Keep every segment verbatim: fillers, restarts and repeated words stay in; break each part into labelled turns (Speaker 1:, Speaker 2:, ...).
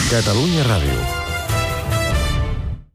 Speaker 1: Catalunya Ràdio.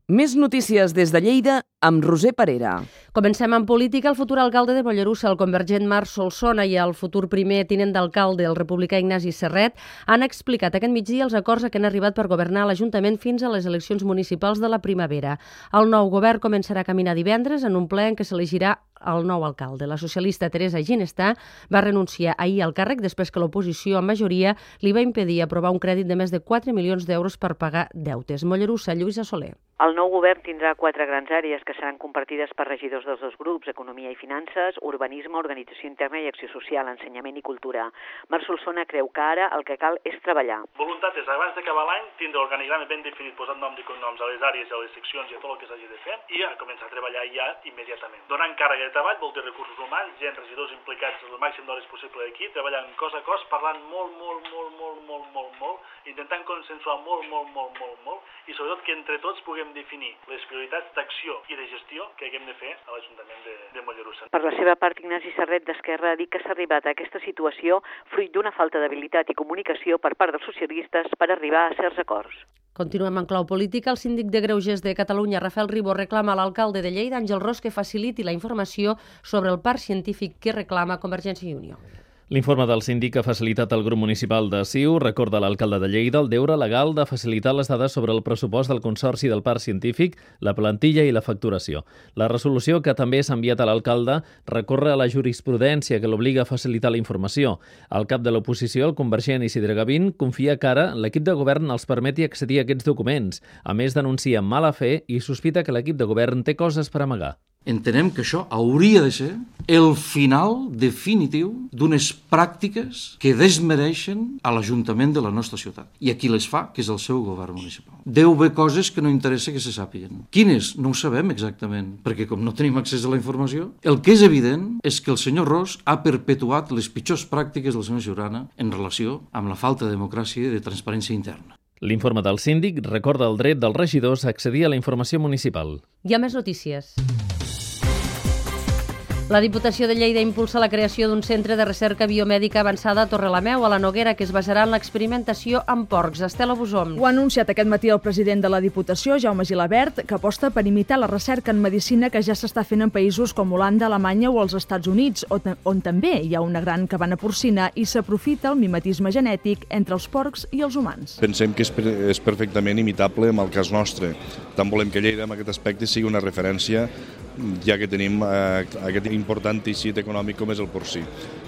Speaker 2: Més notícies des de Lleida amb Roser Parera.
Speaker 3: Comencem amb política. El futur alcalde de Mollerussa, el convergent Marc Solsona, i el futur primer tinent d'alcalde, el republicà Ignasi Serret, han explicat aquest migdia els acords a què han arribat per governar l'Ajuntament fins a les eleccions municipals de la primavera. El nou govern començarà a caminar divendres en un ple en què s'elegirà el nou alcalde. La socialista Teresa Ginestà va renunciar ahir al càrrec després que l'oposició, en majoria, li va impedir aprovar un crèdit de més de quatre milions d'euros per pagar deutes. Mollerussa, Lluïsa Soler.
Speaker 4: El nou govern tindrà quatre grans àrees que seran compartides per regidors dels dos grups: economia i finances, urbanisme, organització interna i acció social, ensenyament i cultura. Marc Solsona creu que ara el que cal és treballar.
Speaker 5: Voluntat és, abans d'acabar l'any, tindre l'organigrama ben definit, posant noms i cognoms a les àrees, a les seccions i a tot el que s'hagi de fer, i a començar a treballar ja immediatament. Donant càrrega de treball vol dir recursos humans, gent, regidors implicats el màxim d'hores possible aquí, treballant cos a cos, parlant molt, molt, molt, molt, molt, molt, molt, intentant consensuar molt, molt, molt, molt, molt, i sobretot que entre tots puguem definir les prioritats d'acció i de gestió que haguem de fer a l'Ajuntament de, de Mollerussa.
Speaker 4: Per la seva part, Ignasi Serret d'Esquerra ha dit que s'ha arribat a aquesta situació fruit d'una falta d'habilitat i comunicació per part dels socialistes per arribar a certs acords.
Speaker 3: Continuem en clau política. El síndic de Greuges de Catalunya, Rafael Ribó, reclama a l'alcalde de Lleida, Àngel Ros, que faciliti la informació sobre el parc científic que reclama Convergència i Unió.
Speaker 6: L'informe del síndic que ha facilitat el grup municipal de C I U recorda a l'alcalde de Lleida el deure legal de facilitar les dades sobre el pressupost del Consorci del Parc Científic, la plantilla i la facturació. La resolució, que també s'ha enviat a l'alcalde, recorre a la jurisprudència que l'obliga a facilitar la informació. El cap de l'oposició, el convergent Isidre Gavín, confia que ara l'equip de govern els permeti accedir a aquests documents. A més, denuncia mala fe i sospita que l'equip de govern té coses per amagar.
Speaker 7: Entenem que això hauria de ser el final definitiu d'unes pràctiques que desmereixen a l'Ajuntament de la nostra ciutat. I a qui les fa, que és el seu govern municipal. Deu haver coses que no interessa que se sàpiguen. Quines? No ho sabem exactament, perquè com no tenim accés a la informació, el que és evident és que el senyor Ros ha perpetuat les pitjors pràctiques del senyor Jurana en relació amb la falta de democràcia i de transparència interna.
Speaker 6: L'informe del síndic recorda el dret dels regidors a accedir a la informació municipal.
Speaker 3: Hi ha més notícies. La Diputació de Lleida impulsa la creació d'un centre de recerca biomèdica avançada a Torrelameu, a la Noguera, que es basarà en l'experimentació amb porcs. Estela Bosom.
Speaker 8: Ho ha anunciat aquest matí el president de la Diputació, Jaume Gilabert, que aposta per imitar la recerca en medicina que ja s'està fent en països com Holanda, Alemanya o els Estats Units, on, on també hi ha una gran cabana porcina i s'aprofita el mimetisme genètic entre els porcs i els humans.
Speaker 9: Pensem que és, és perfectament imitable amb el cas nostre. Tant volem que Lleida, en aquest aspecte, sigui una referència, ja que tenim eh, aquest important teixit econòmic com és el porcí.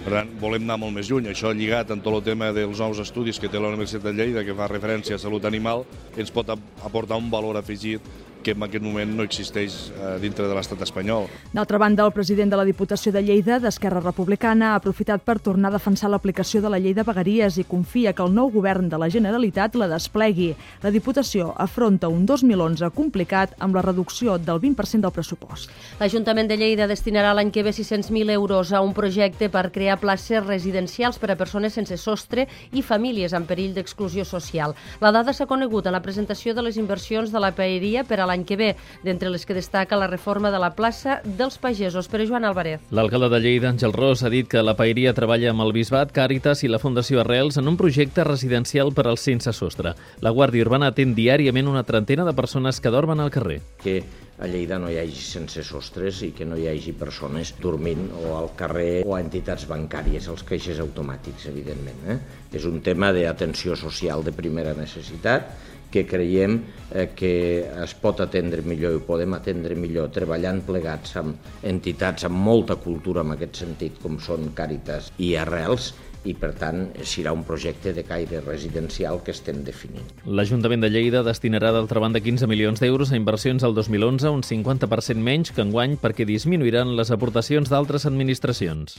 Speaker 9: Per tant, volem anar molt més lluny. Això lligat amb tot el tema dels nous estudis que té la Universitat de Lleida, que fa referència a salut animal, ens pot aportar un valor afegit que en aquest moment no existeix eh, dintre de l'estat espanyol.
Speaker 8: D'altra banda, el president de la Diputació de Lleida, d'Esquerra Republicana, ha aprofitat per tornar a defensar l'aplicació de la llei de vegueries i confia que el nou govern de la Generalitat la desplegui. La Diputació afronta un dos mil onze complicat amb la reducció del vint per cent del pressupost.
Speaker 3: L'Ajuntament de Lleida destinarà l'any que ve sis-cents mil euros a un projecte per crear places residencials per a persones sense sostre i famílies en perill d'exclusió social. La dada s'ha conegut en la presentació de les inversions de la paeria per a l'any que ve, d'entre les que destaca la reforma de la plaça dels pagesos. Per a Joan Álvarez.
Speaker 6: L'alcalde de Lleida, Àngel Ros, ha dit que la paeria treballa amb el Bisbat, Càritas i la Fundació Arrels en un projecte residencial per als sense sostre. La Guàrdia Urbana atén diàriament una trentena de persones que dormen al carrer.
Speaker 10: Que a Lleida no hi hagi sense sostres i que no hi hagi persones dormint o al carrer o a entitats bancàries, els caixers automàtics, evidentment. Eh? És un tema d'atenció social de primera necessitat que creiem eh, que es pot atendre millor i podem atendre millor treballant plegats amb entitats amb molta cultura en aquest sentit, com són Càritas i Arrels, i per tant serà un projecte de caire residencial que estem definint.
Speaker 6: L'Ajuntament de Lleida destinarà d'altra banda quinze milions d'euros a inversions al dos mil onze, un cinquanta per cent menys que enguany perquè disminuiran les aportacions d'altres administracions.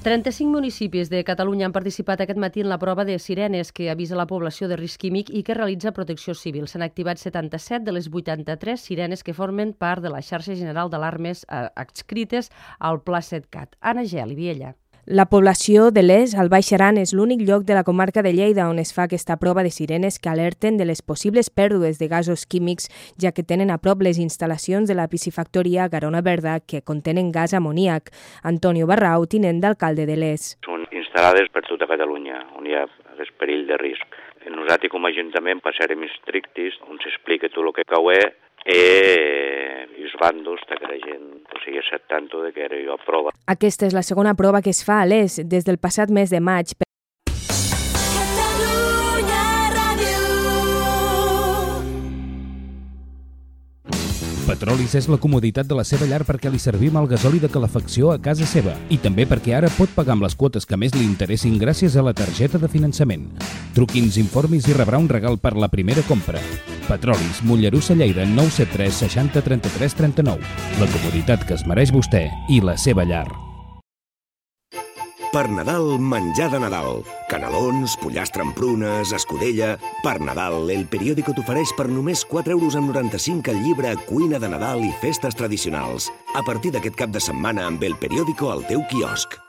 Speaker 3: trenta-cinc municipis de Catalunya han participat aquest matí en la prova de sirenes que avisa la població de risc químic i que realitza Protecció Civil. S'han activat setanta-set de les vuitanta-tres sirenes que formen part de la xarxa general d'alarmes adscrites al Pla SETCAT. Anna Gel i Viella.
Speaker 11: La població de l'Es, al Baix Aran, és l'únic lloc de la comarca de Lleida on es fa aquesta prova de sirenes que alerten de les possibles pèrdues de gasos químics, ja que tenen a prop les instal·lacions de la piscifactoria Garona Verda que contenen gas amoníac. Antonio Barrau, tinent d'alcalde de l'Es.
Speaker 12: Són instal·lades per tota Catalunya, on hi ha
Speaker 1: és perill de risc. Nosaltres com a Ajuntament passarem estrictes on s'explica tot el que cau i els bandos que la gent o sigui, acceptant de que era jo prova.
Speaker 11: Aquesta és la segona prova que es fa a l'Es des del passat mes de maig.
Speaker 12: Petrolis és la comoditat de la seva llar perquè li servim el gasoli de calefacció a casa seva i també perquè ara pot pagar amb les quotes que més li interessin gràcies a la targeta de finançament. Truqui'ns, informis i rebrà un regal per la primera compra. Petrolis, Mollerussa, Lleida, nou set tres seixanta trenta-tres trenta-nou. La comoditat que es mereix vostè i la seva llar.
Speaker 13: Per Nadal, menjar de Nadal. Canelons, pollastre amb prunes, escudella... Per Nadal, El Periódico t'ofereix per només quatre euros amb noranta-cinc el llibre Cuina de Nadal i festes tradicionals. A partir d'aquest cap de setmana amb El Periódico al teu quiosc.